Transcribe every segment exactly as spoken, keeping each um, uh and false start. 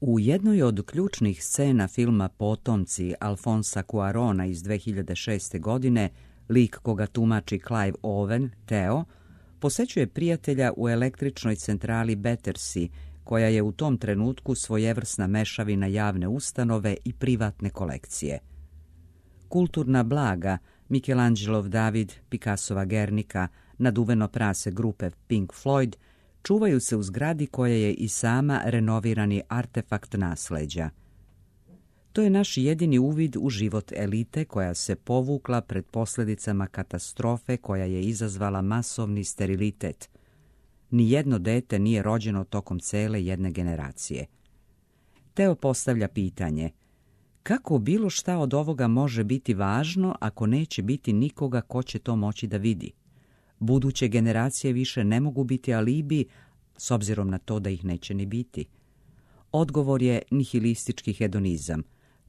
U jednoj od ključnih scena filma Potomci Alfonsa Cuarona iz dve hiljade šeste. godine, lik koga tumači Clive Owen, Teo, posećuje prijatelja u električnoj centrali Battersea, koja je u tom trenutku svojevrsna mešavina javne ustanove i privatne kolekcije. Kulturna blaga, Michelangelov David, Picassova Gernika, naduveno prase grupe Pink Floyd, čuvaju se u zgradi koja je i sama renovirani artefakt nasleđa. To je naš jedini uvid u život elite koja se povukla pred posljedicama katastrofe koja je izazvala masovni sterilitet. Nijedno dete nije rođeno tokom cele jedne generacije. Teo postavlja pitanje: kako bilo šta od ovoga može biti važno ako neće biti nikoga ko će to moći da vidi? Buduće generacije više ne mogu biti alibi, s obzirom na to da ih neće ni biti. Odgovor je nihilistički hedonizam.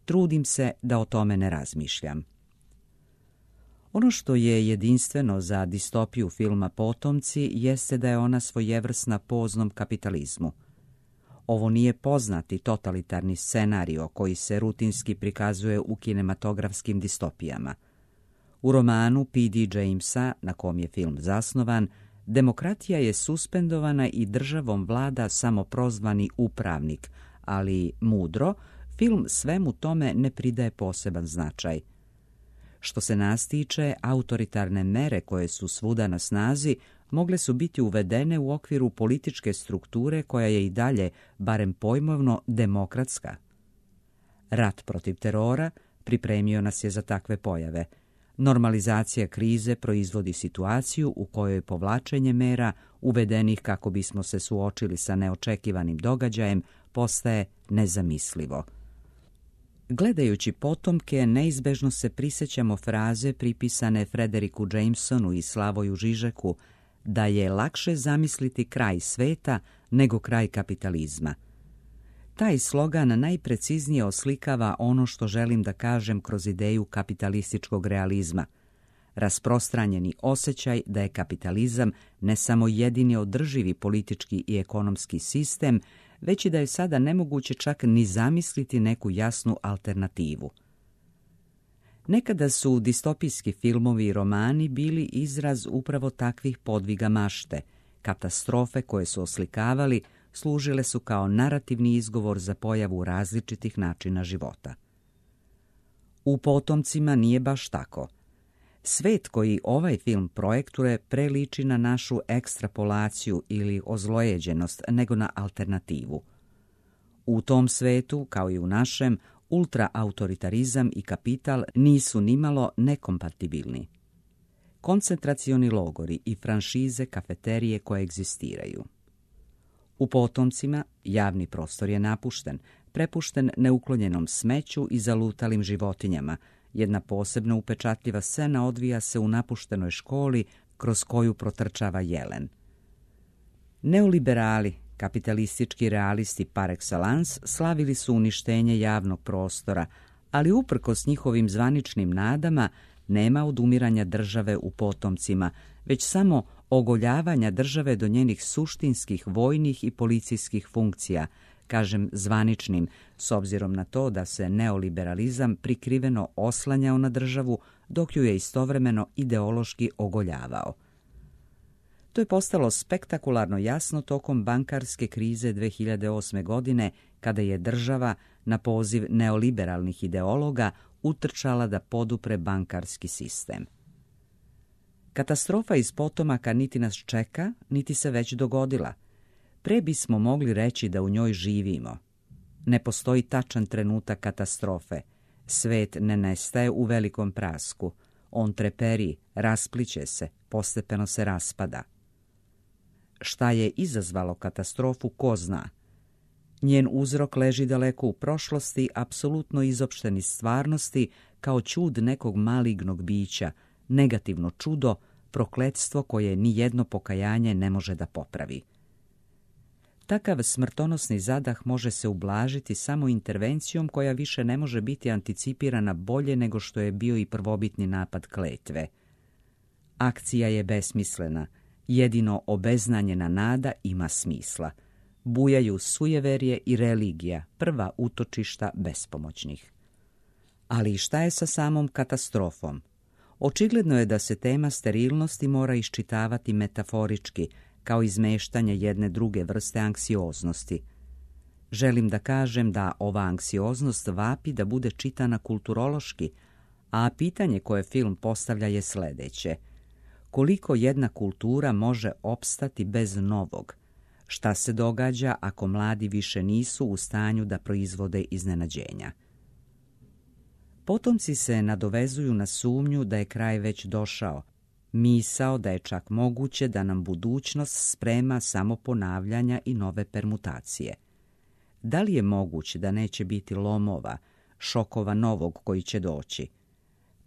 Trudim se da o tome ne razmišljam. Ono što je jedinstveno za distopiju filma Potomci jeste da je ona svojevrsna poznom kapitalizmu. Ovo nije poznati totalitarni scenario koji se rutinski prikazuje u kinematografskim distopijama. U romanu P D Jamesa, na kom je film zasnovan, demokratija je suspendovana i državom vlada samoprozvani upravnik, ali mudro, film svemu tome ne pridaje poseban značaj. Što se nas tiče, autoritarne mere koje su svuda na snazi mogle su biti uvedene u okviru političke strukture koja je i dalje, barem pojmovno, demokratska. Rat protiv terora pripremio nas je za takve pojave. Normalizacija krize proizvodi situaciju u kojoj povlačenje mera, uvedenih kako bismo se suočili sa neočekivanim događajem, postaje nezamislivo. Gledajući Potomke, neizbežno se prisjećamo fraze pripisane Frederiku Jamesonu i Slavoju Žižeku da je lakše zamisliti kraj sveta nego kraj kapitalizma. Taj slogan najpreciznije oslikava ono što želim da kažem kroz ideju kapitalističkog realizma. Rasprostranjeni osjećaj da je kapitalizam ne samo jedini održivi politički i ekonomski sistem, već i da je sada nemoguće čak ni zamisliti neku jasnu alternativu. Nekada su distopijski filmovi i romani bili izraz upravo takvih podviga mašte. Katastrofe koje su oslikavali služile su kao narativni izgovor za pojavu različitih načina života. U Potomcima nije baš tako. Svet koji ovaj film projektuje preliči na našu ekstrapolaciju ili ozlojeđenost nego na alternativu. U tom svetu, kao i u našem, ultraautoritarizam i kapital nisu nimalo nekompatibilni. Koncentracioni logori i franšize kafeterije koje egzistiraju. U Potomcima javni prostor je napušten, prepušten neuklonjenom smeću i zalutalim životinjama. Jedna posebno upečatljiva scena odvija se u napuštenoj školi kroz koju protrčava jelen. Neoliberali, kapitalistički realisti par excellence, slavili su uništenje javnog prostora, ali uprkos njihovim zvaničnim nadama nema odumiranja države u Potomcima, već samo ogoljavanja države do njenih suštinskih vojnih i policijskih funkcija, kažem zvaničnim, s obzirom na to da se neoliberalizam prikriveno oslanjao na državu, dok ju je istovremeno ideološki ogoljavao. To je postalo spektakularno jasno tokom bankarske krize dve hiljade osme. godine, kada je država, na poziv neoliberalnih ideologa, utrčala da podupre bankarski sistem. Katastrofa iz Potomaka niti nas čeka, niti se već dogodila. Pre bismo mogli reći da u njoj živimo. Ne postoji tačan trenutak katastrofe. Svet ne nestaje u velikom prasku. On treperi, raspliće se, postepeno se raspada. Šta je izazvalo katastrofu, ko zna. Njen uzrok leži daleko u prošlosti, apsolutno izopšten iz stvarnosti, kao čud nekog malignog bića, negativno čudo, prokletstvo koje ni jedno pokajanje ne može da popravi. Takav smrtonosni zadah može se ublažiti samo intervencijom koja više ne može biti anticipirana bolje nego što je bio i prvobitni napad kletve. Akcija je besmislena, jedino obeznanjena nada ima smisla. bujaju sujeverje i religija, prva utočišta bespomoćnih. Ali šta je sa samom katastrofom? Očigledno je da se tema sterilnosti mora iščitavati metaforički, kao izmeštanje jedne druge vrste anksioznosti. Želim da kažem da ova anksioznost vapi da bude čitana kulturološki, a pitanje koje film postavlja je sledeće. Koliko jedna kultura može opstati bez novog? Šta se događa ako mladi više nisu u stanju da proizvode iznenađenja? Potomci se nadovezuju na sumnju da je kraj već došao, misao da je čak moguće da nam budućnost sprema samo ponavljanja i nove permutacije. Da li je moguće da neće biti lomova, šokova novog koji će doći?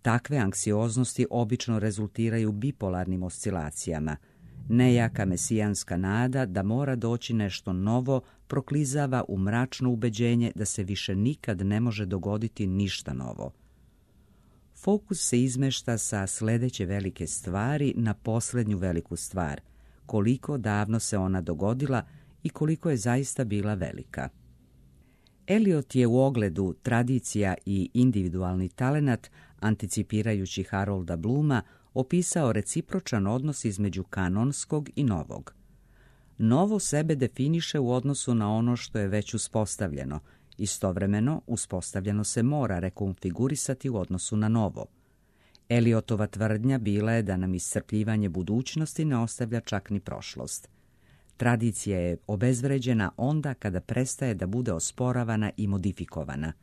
Takve anksioznosti obično rezultiraju bipolarnim oscilacijama. Nejaka mesijanska nada da mora doći nešto novo proklizava u mračno ubeđenje da se više nikad ne može dogoditi ništa novo. Fokus se izmešta sa sledeće velike stvari na posljednju veliku stvar, koliko davno se ona dogodila i koliko je zaista bila velika. Eliot je u ogledu Tradicija i individualni talenat, anticipirajući Harolda Blooma, opisao recipročan odnos između kanonskog i novog. Novo sebe definiše u odnosu na ono što je već uspostavljeno. Istovremeno, uspostavljeno se mora rekonfigurisati u odnosu na novo. Eliotova tvrdnja bila je da nam iscrpljivanje budućnosti ne ostavlja čak ni prošlost. Tradicija je obezvređena onda kada prestaje da bude osporavana i modifikovana.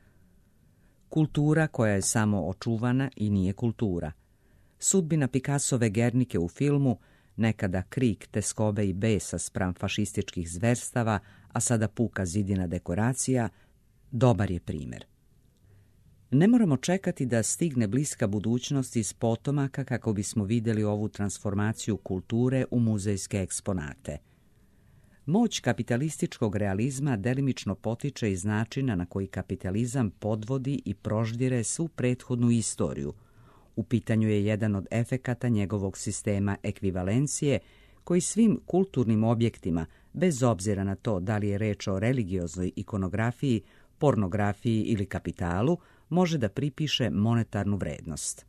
Kultura koja je samo očuvana i nije kultura. Sudbina Picassove Gernike u filmu, nekada krik teskobe i besa spram fašističkih zverstava, a sada puka zidina dekoracija, dobar je primjer. Ne moramo čekati da stigne bliska budućnost iz potomaka kako bismo vidjeli ovu transformaciju kulture u muzejske eksponate. Moć kapitalističkog realizma delimično potiče iz načina na koji kapitalizam podvodi i proždire svu prethodnu istoriju. U pitanju je jedan od efekata njegovog sistema ekvivalencije koji svim kulturnim objektima, bez obzira na to da li je reč o religioznoj ikonografiji, pornografiji ili kapitalu, može da pripiše monetarnu vrednost.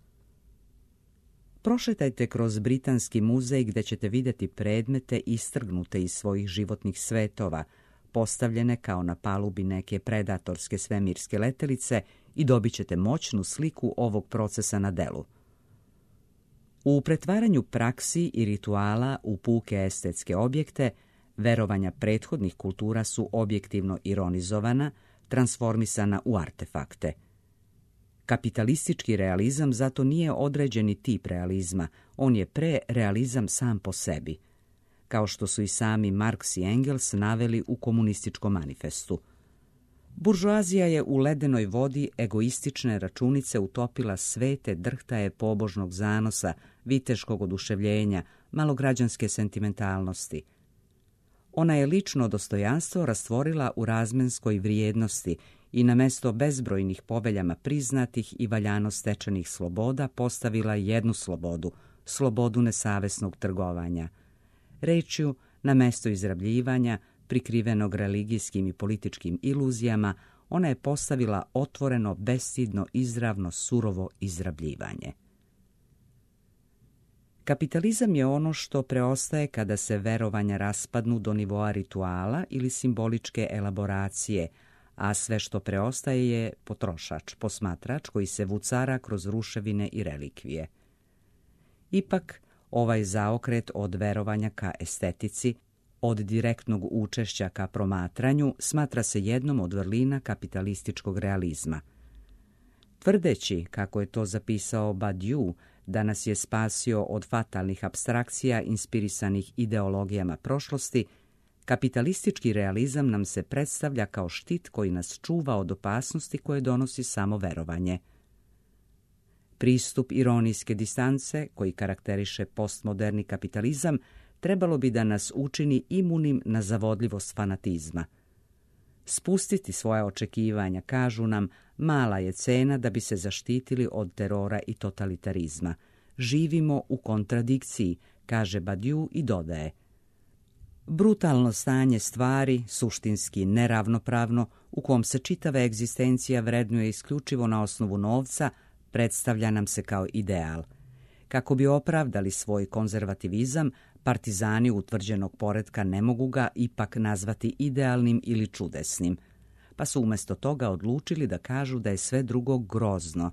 Prošetajte kroz Britanski muzej gdje ćete vidjeti predmete istrgnute iz svojih životnih svetova, postavljene kao na palubi neke predatorske svemirske letelice i dobit ćete moćnu sliku ovog procesa na delu. U pretvaranju praksi i rituala u puke estetske objekte, verovanja prethodnih kultura su objektivno ironizovana, transformisana u artefakte. Kapitalistički realizam zato nije određeni tip realizma, on je pre-realizam sam po sebi, kao što su i sami Marx i Engels naveli u komunističkom manifestu. Buržoazija je u ledenoj vodi egoistične računice utopila svete drhtaje pobožnog zanosa, viteškog oduševljenja, malograđanske sentimentalnosti. Ona je lično dostojanstvo rastvorila u razmenskoj vrijednosti i na mesto bezbrojnih poveljama priznatih i valjano stečenih sloboda postavila jednu slobodu, slobodu nesavesnog trgovanja. Rečju, na mesto izrabljivanja, prikrivenog religijskim i političkim iluzijama, ona je postavila otvoreno, bestidno, izravno, surovo izrabljivanje. Kapitalizam je ono što preostaje kada se verovanja raspadnu do nivoa rituala ili simboličke elaboracije, a sve što preostaje je potrošač, posmatrač koji se vucara kroz ruševine i relikvije. Ipak, ovaj zaokret od verovanja ka estetici, od direktnog učešća ka promatranju, smatra se jednom od vrlina kapitalističkog realizma. Tvrdeći, kako je to zapisao Badiou, da nas je spasio od fatalnih apstrakcija inspirisanih ideologijama prošlosti, kapitalistički realizam nam se predstavlja kao štit koji nas čuva od opasnosti koje donosi samo verovanje. Pristup ironijske distance, koji karakteriše postmoderni kapitalizam, trebalo bi da nas učini imunim na zavodljivost fanatizma. Spustiti svoja očekivanja, kažu nam, mala je cena da bi se zaštitili od terora i totalitarizma. Živimo u kontradikciji, kaže Badiou i dodaje. Brutalno stanje stvari, suštinski neravnopravno, u kom se čitava egzistencija vrednuje isključivo na osnovu novca, predstavlja nam se kao ideal. Kako bi opravdali svoj konzervativizam, partizani utvrđenog poretka ne mogu ga ipak nazvati idealnim ili čudesnim, pa su umjesto toga odlučili da kažu da je sve drugo grozno.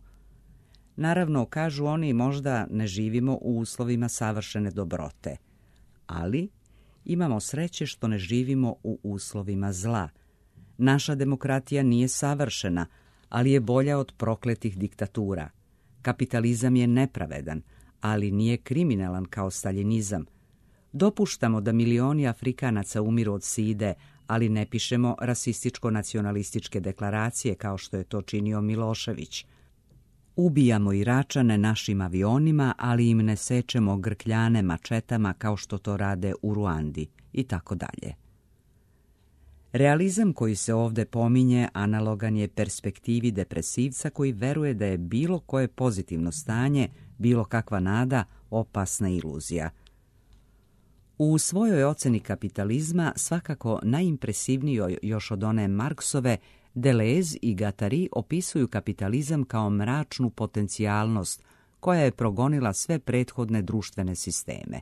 Naravno, kažu oni, možda ne živimo u uslovima savršene dobrote, ali imamo sreće što ne živimo u uslovima zla. Naša demokratija nije savršena, ali je bolja od prokletih diktatura. Kapitalizam je nepravedan, ali nije kriminalan kao staljinizam. Dopuštamo da milioni Afrikanaca umiru od side, ali ne pišemo rasističko-nacionalističke deklaracije kao što je to činio Milošević. Ubijamo Iračane našim avionima, ali im ne sečemo grkljane mačetama kao što to rade u Ruandi i tako dalje. Realizam koji se ovdje pominje analogan je perspektivi depresivca koji veruje da je bilo koje pozitivno stanje, bilo kakva nada, opasna iluzija. U svojoj oceni kapitalizma, svakako najimpresivnijoj još od one Marksove, Deleuze i Guattari opisuju kapitalizam kao mračnu potencijalnost koja je progonila sve prethodne društvene sisteme.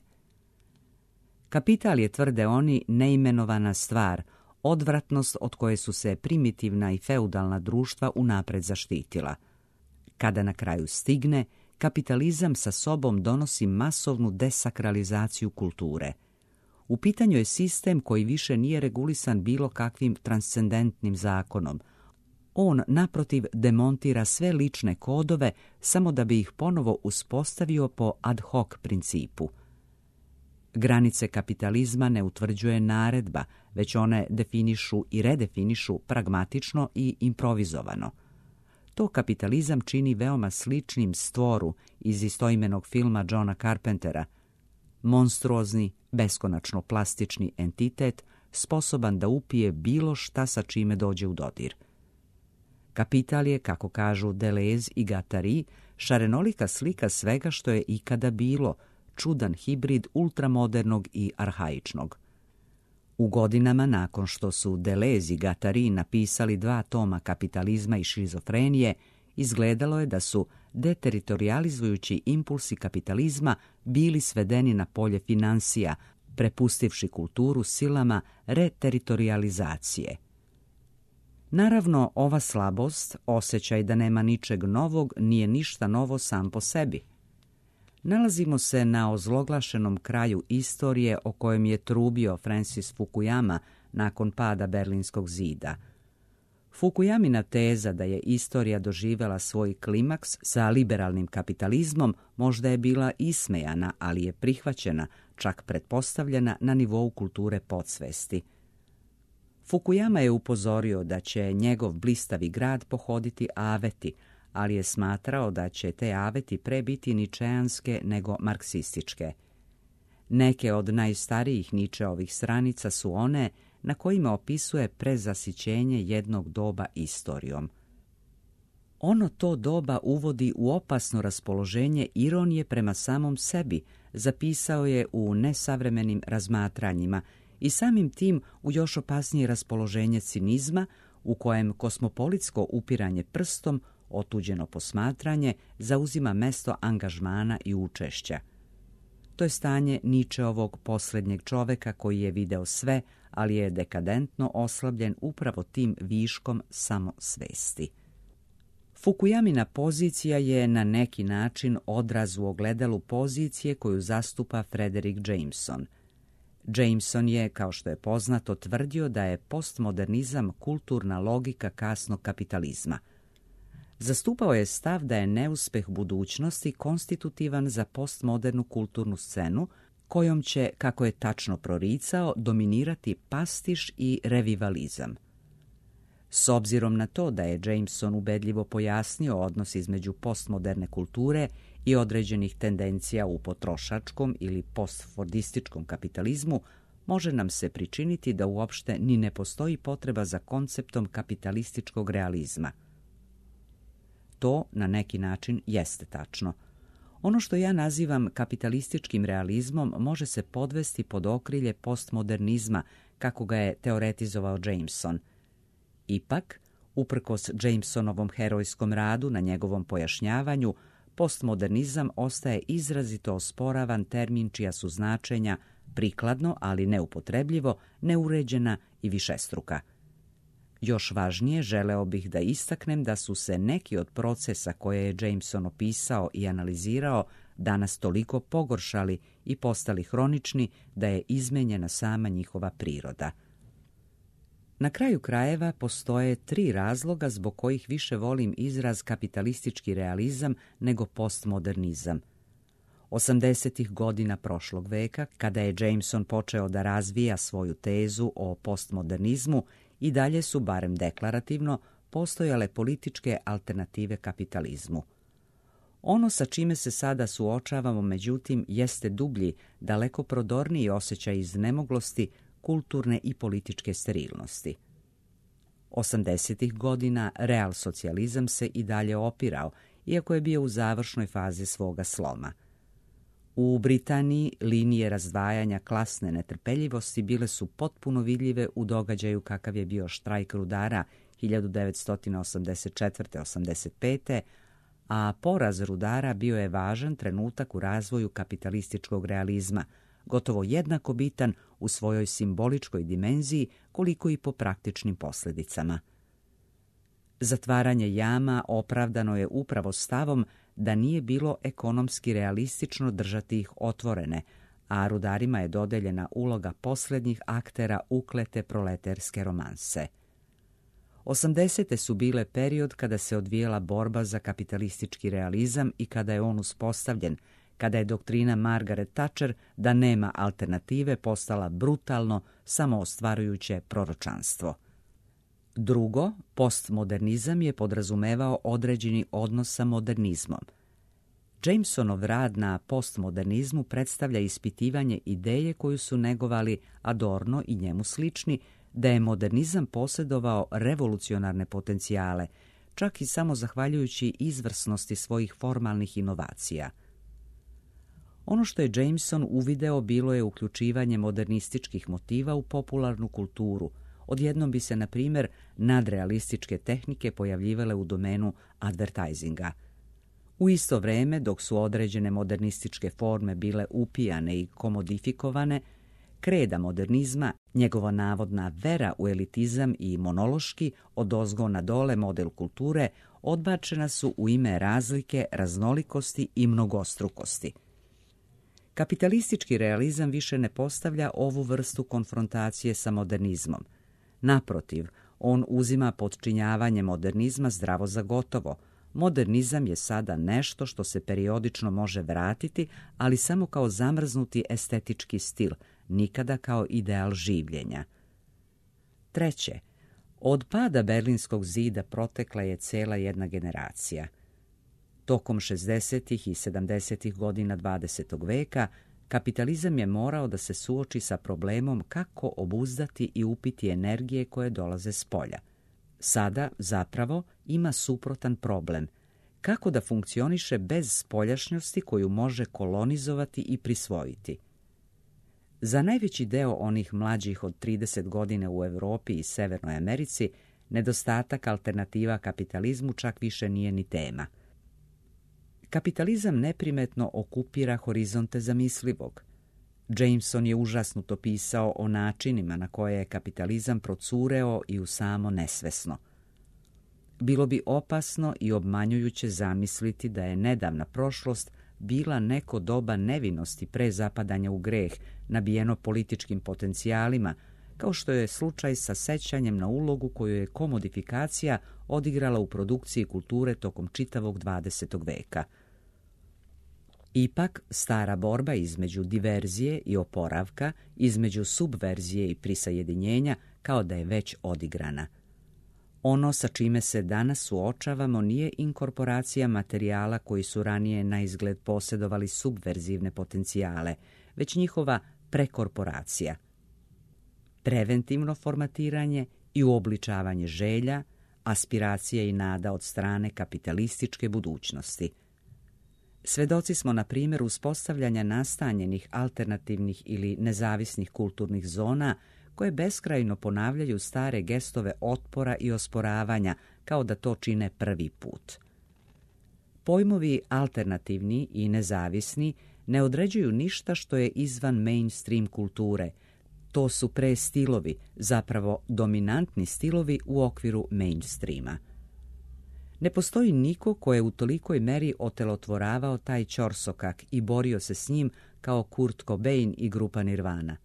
Kapital je, tvrde oni, neimenovana stvar, odvratnost od koje su se primitivna i feudalna društva unapred zaštitila. Kada na kraju stigne, kapitalizam sa sobom donosi masovnu desakralizaciju kulture. U pitanju je sistem koji više nije regulisan bilo kakvim transcendentnim zakonom. On, naprotiv, demontira sve lične kodove samo da bi ih ponovo uspostavio po ad hoc principu. Granice kapitalizma ne utvrđuje naredba, već one definišu i redefinišu pragmatično i improvizovano. To kapitalizam čini veoma sličnim Stvoru iz istoimenog filma Johna Carpentera. Monstruozni, beskonačno plastični entitet, sposoban da upije bilo šta sa čime dođe u dodir. Kapital je, kako kažu Deleuze i Guattari, šarenolika slika svega što je ikada bilo, čudan hibrid ultramodernog i arhaičnog. U godinama nakon što su Deleuze i Guattari napisali dva toma Kapitalizma i šizofrenije, izgledalo je da su deteritorializujući impulsi kapitalizma bili svedeni na polje finansija, prepustivši kulturu silama reteritorializacije. Naravno, ova slabost, osjećaj da nema ničeg novog, nije ništa novo sam po sebi. Nalazimo se na ozloglašenom kraju istorije o kojem je trubio Francis Fukuyama nakon pada Berlinskog zida. Fukuyamina teza da je istorija doživjela svoj klimaks sa liberalnim kapitalizmom možda je bila ismejana, ali je prihvaćena, čak pretpostavljena na nivou kulture podsvesti. Fukuyama je upozorio da će njegov blistavi grad pohoditi aveti, ali je smatrao da će te aveti pre biti ničeanske nego marksističke. Neke od najstarijih Ničeovih stranica su one na kojima opisuje prezasićenje jednog doba istorijom. Ono to doba uvodi u opasno raspoloženje ironije prema samom sebi, zapisao je u Nesavremenim razmatranjima, i samim tim u još opasnije raspoloženje cinizma, u kojem kosmopolitsko upiranje prstom, otuđeno posmatranje, zauzima mesto angažmana i učešća. To je stanje Ničeovog posljednjeg čoveka koji je video sve, ali je dekadentno oslabljen upravo tim viškom samosvesti. Fukuyamina pozicija je na neki način odraz u ogledalu pozicije koju zastupa Frederick Jameson. Jameson je, kao što je poznato, tvrdio da je postmodernizam kulturna logika kasnog kapitalizma. Zastupao je stav da je neuspeh budućnosti konstitutivan za postmodernu kulturnu scenu, kojom će, kako je tačno proricao, dominirati pastiš i revivalizam. S obzirom na to da je Jameson ubedljivo pojasnio odnos između postmoderne kulture i određenih tendencija u potrošačkom ili postfordističkom kapitalizmu, može nam se pričiniti da uopšte ni ne postoji potreba za konceptom kapitalističkog realizma. To na neki način jeste tačno. Ono što ja nazivam kapitalističkim realizmom može se podvesti pod okrilje postmodernizma, kako ga je teoretizovao Jameson. Ipak, uprkos Jamesonovom herojskom radu na njegovom pojašnjavanju, postmodernizam ostaje izrazito osporavan termin čija su značenja prikladno, ali neupotrebljivo, neuređena i višestruka. Još važnije, želeo bih da istaknem da su se neki od procesa koje je Jameson opisao i analizirao danas toliko pogoršali i postali hronični da je izmenjena sama njihova priroda. Na kraju krajeva postoje tri razloga zbog kojih više volim izraz kapitalistički realizam nego postmodernizam. osamdesetih godina prošlog veka, kada je Jameson počeo da razvija svoju tezu o postmodernizmu, i dalje su, barem deklarativno, postojale političke alternative kapitalizmu. Ono sa čime se sada suočavamo, međutim, jeste dublji, daleko prodorniji osjećaj iznemoglosti, kulturne i političke sterilnosti. osamdesetih godina realsocijalizam se i dalje opirao, iako je bio u završnoj fazi svoga sloma. U Britaniji linije razdvajanja klasne netrpeljivosti bile su potpuno vidljive u događaju kakav je bio štrajk rudara hiljadu devetsto osamdeset četvrte osamdeset pete a poraz rudara bio je važan trenutak u razvoju kapitalističkog realizma, gotovo jednako bitan u svojoj simboličkoj dimenziji koliko i po praktičnim posljedicama. Zatvaranje jama opravdano je upravo stavom da nije bilo ekonomski realistično držati ih otvorene, a rudarima je dodeljena uloga posljednjih aktera uklete proleterske romanse. osamdesete su bile period kada se odvijela borba za kapitalistički realizam i kada je on uspostavljen, kada je doktrina Margaret Thatcher da nema alternative postala brutalno, samoostvarujuće proročanstvo. Drugo, postmodernizam je podrazumevao određeni odnos sa modernizmom. Jamesonov rad na postmodernizmu predstavlja ispitivanje ideje koju su negovali Adorno i njemu slični, da je modernizam posjedovao revolucionarne potencijale, čak i samo zahvaljujući izvrsnosti svojih formalnih inovacija. Ono što je Jameson uvideo bilo je uključivanje modernističkih motiva u popularnu kulturu. Odjednom bi se, na primjer, nadrealističke tehnike pojavljivale u domenu advertisinga. U isto vrijeme, dok su određene modernističke forme bile upijane i komodifikovane, kreda modernizma, njegova navodna vera u elitizam i monološki, odozgo na dole model kulture, odbačena su u ime razlike, raznolikosti i mnogostrukosti. Kapitalistički realizam više ne postavlja ovu vrstu konfrontacije sa modernizmom. Naprotiv, on uzima podčinjavanje modernizma zdravo za gotovo. Modernizam je sada nešto što se periodično može vratiti, ali samo kao zamrznuti estetički stil, nikada kao ideal življenja. Treće, od pada Berlinskog zida protekla je cela jedna generacija. Tokom šezdesetih i sedamdesetih godina dvadesetog veka kapitalizam je morao da se suoči sa problemom kako obuzdati i upiti energije koje dolaze s polja. Sada, zapravo, ima suprotan problem. Kako da funkcioniše bez spoljašnjosti koju može kolonizovati i prisvojiti? Za najveći deo onih mlađih od trideset godina u Europi i Severnoj Americi, nedostatak alternativa kapitalizmu čak više nije ni tema. Kapitalizam neprimetno okupira horizonte zamislivog. Jameson je užasnuto pisao o načinima na koje je kapitalizam procureo i u samo nesvesno. Bilo bi opasno i obmanjujuće zamisliti da je nedavna prošlost bila neko doba nevinosti pre zapadanja u greh, nabijeno političkim potencijalima, kao što je slučaj sa sećanjem na ulogu koju je komodifikacija odigrala u produkciji kulture tokom čitavog dvadesetog veka. Ipak, stara borba između diverzije i oporavka, između subverzije i prisajedinjenja, kao da je već odigrana. Ono sa čime se danas suočavamo nije inkorporacija materijala koji su ranije na izgled posjedovali subverzivne potencijale, već njihova prekorporacija. Preventivno formatiranje i uobličavanje želja, aspiracije i nada od strane kapitalističke budućnosti. Svedoci smo, na primjer, uspostavljanja nastanjenih, alternativnih ili nezavisnih kulturnih zona koje beskrajno ponavljaju stare gestove otpora i osporavanja, kao da to čine prvi put. Pojmovi alternativni i nezavisni ne određuju ništa što je izvan mainstream kulture. To su pre stilovi, zapravo dominantni stilovi u okviru mainstreama. Ne postoji niko ko je u tolikoj meri otelotvoravao taj ćorsokak i borio se s njim kao Kurt Cobain i grupa Nirvana.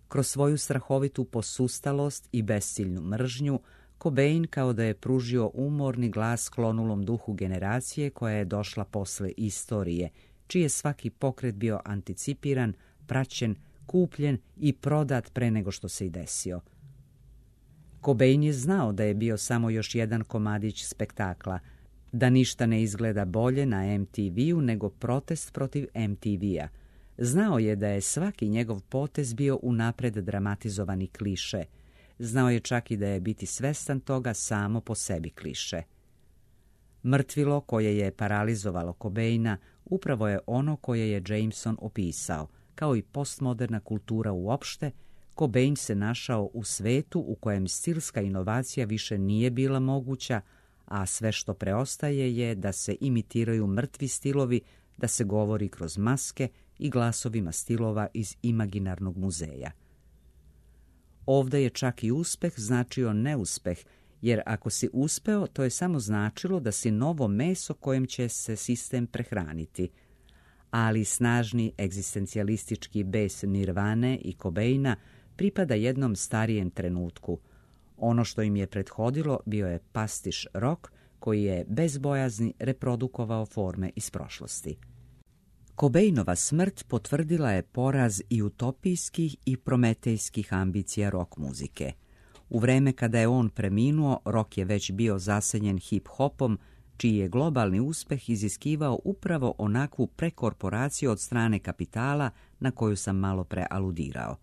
Kroz svoju strahovitu posustalost i besciljnu mržnju, Cobain kao da je pružio umorni glas klonulom duhu generacije koja je došla posle istorije, čiji je svaki pokret bio anticipiran, praćen, kupljen i prodat pre nego što se i desio. Cobain je znao da je bio samo još jedan komadić spektakla, da ništa ne izgleda bolje na em te veu nego protest protiv em te vea. Znao je da je svaki njegov potez bio unapred dramatizovani kliše. Znao je čak i da je biti svestan toga samo po sebi kliše. Mrtvilo koje je paralizovalo Cobaina upravo je ono koje je Jameson opisao. Kao i postmoderna kultura uopšte, Cobain se našao u svetu u kojem stilska inovacija više nije bila moguća, a sve što preostaje je da se imitiraju mrtvi stilovi, da se govori kroz maske i glasovima stilova iz imaginarnog muzeja. Ovdje je čak i uspeh značio neuspeh, jer ako si uspeo, to je samo značilo da si novo meso kojem će se sistem prehraniti. Ali snažni egzistencijalistički bes Nirvane i Cobaina pripada jednom starijem trenutku. Ono što im je prethodilo bio je pastiš rock koji je bez bojazni reprodukovao forme iz prošlosti. Cobainova smrt potvrdila je poraz i utopijskih i prometejskih ambicija rock muzike. U vreme kada je on preminuo, rock je već bio zasenjen hip-hopom, čiji je globalni uspeh iziskivao upravo onakvu prekorporaciju od strane kapitala na koju sam malo pre aludirao.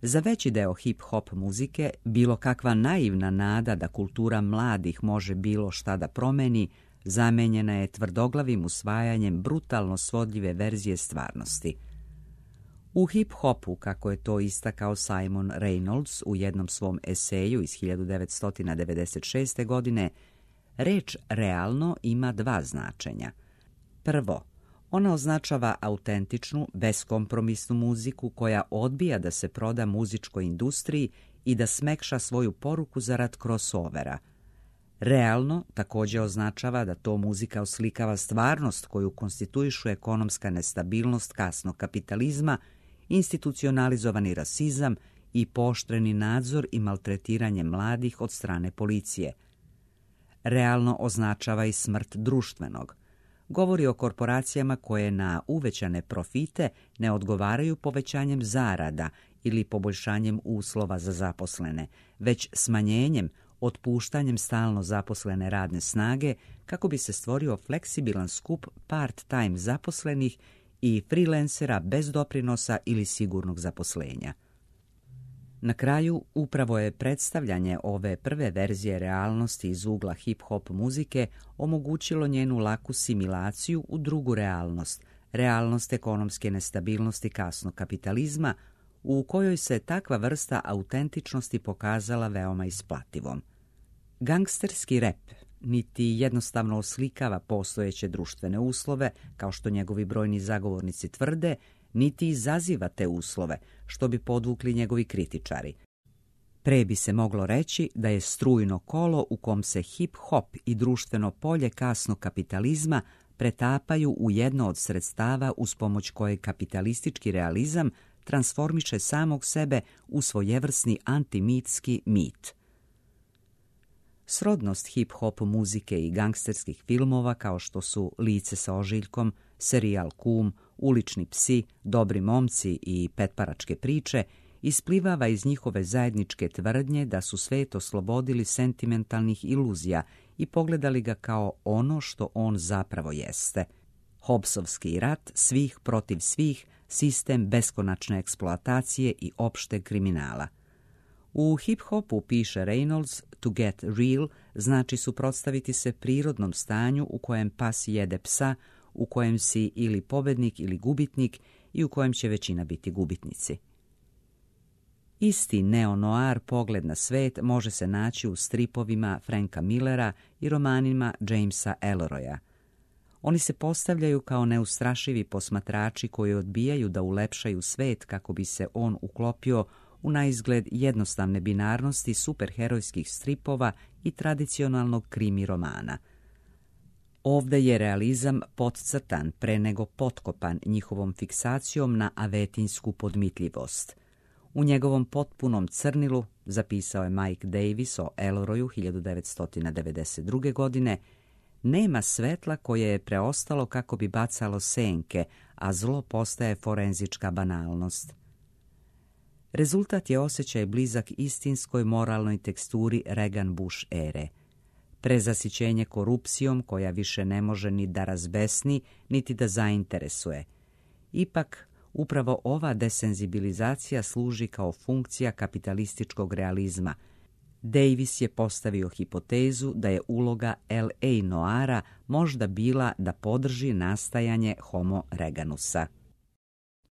Za veći deo hip-hop muzike, bilo kakva naivna nada da kultura mladih može bilo šta da promeni, zamenjena je tvrdoglavim usvajanjem brutalno svodljive verzije stvarnosti. U hip-hopu, kako je to istakao Simon Reynolds u jednom svom eseju iz hiljadu devetsto devedeset šeste. godine, reč realno ima dva značenja. Prvo, ona označava autentičnu, beskompromisnu muziku koja odbija da se proda muzičkoj industriji i da smekša svoju poruku zarad crossovera. Realno također označava da to muzika oslikava stvarnost koju konstituišu ekonomska nestabilnost kasnog kapitalizma, institucionalizovani rasizam i pooštreni nadzor i maltretiranje mladih od strane policije. Realno označava i smrt društvenog. Govori o korporacijama koje na uvećane profite ne odgovaraju povećanjem zarada ili poboljšanjem uslova za zaposlene, već smanjenjem, otpuštanjem stalno zaposlene radne snage kako bi se stvorio fleksibilan skup part-time zaposlenih i freelancera bez doprinosa ili sigurnog zaposlenja. Na kraju, upravo je predstavljanje ove prve verzije realnosti iz ugla hip-hop muzike omogućilo njenu laku similaciju u drugu realnost, realnost ekonomske nestabilnosti kasnog kapitalizma, u kojoj se takva vrsta autentičnosti pokazala veoma isplativom. Gangsterski rep niti jednostavno oslikava postojeće društvene uslove, kao što njegovi brojni zagovornici tvrde, niti izaziva te uslove, što bi podvukli njegovi kritičari. Pre bi se moglo reći da je strujno kolo u kom se hip-hop i društveno polje kasnog kapitalizma pretapaju u jedno od sredstava uz pomoć koje kapitalistički realizam transformiše samog sebe u svojevrsni antimitski mit. Srodnost hip-hop muzike i gangsterskih filmova kao što su Lice sa ožiljkom, serijal Kum, Ulični psi, Dobri momci i Petparačke priče isplivava iz njihove zajedničke tvrdnje da su svet oslobodili sentimentalnih iluzija i pogledali ga kao ono što on zapravo jeste. Hobbesovski rat svih protiv svih, sistem beskonačne eksploatacije i opšteg kriminala. U hip-hopu, piše Reynolds, to get real znači suprotstaviti se prirodnom stanju u kojem pas jede psa, u kojem si ili pobednik ili gubitnik i u kojem će većina biti gubitnici. Isti neo-noir pogled na svet može se naći u stripovima Franka Millera i romanima Jamesa Ellroya. Oni se postavljaju kao neustrašivi posmatrači koji odbijaju da ulepšaju svet kako bi se on uklopio u naizgled jednostavne binarnosti superherojskih stripova i tradicionalnog krimi romana. Ovde je realizam podcrtan pre nego potkopan njihovom fiksacijom na avetinsku podmitljivost. U njegovom potpunom crnilu, zapisao je Mike Davis o Ellroyu hiljadu devetsto devedeset druge. godine, nema svetla koje je preostalo kako bi bacalo senke, a zlo postaje forenzička banalnost. Rezultat je osjećaj blizak istinskoj moralnoj teksturi Reagan-Bush ere. Prezasićenje korupcijom koja više ne može ni da razbesni, niti da zainteresuje. Ipak, upravo ova desenzibilizacija služi kao funkcija kapitalističkog realizma. Davis je postavio hipotezu da je uloga L A noara možda bila da podrži nastajanje Homo Reaganusa.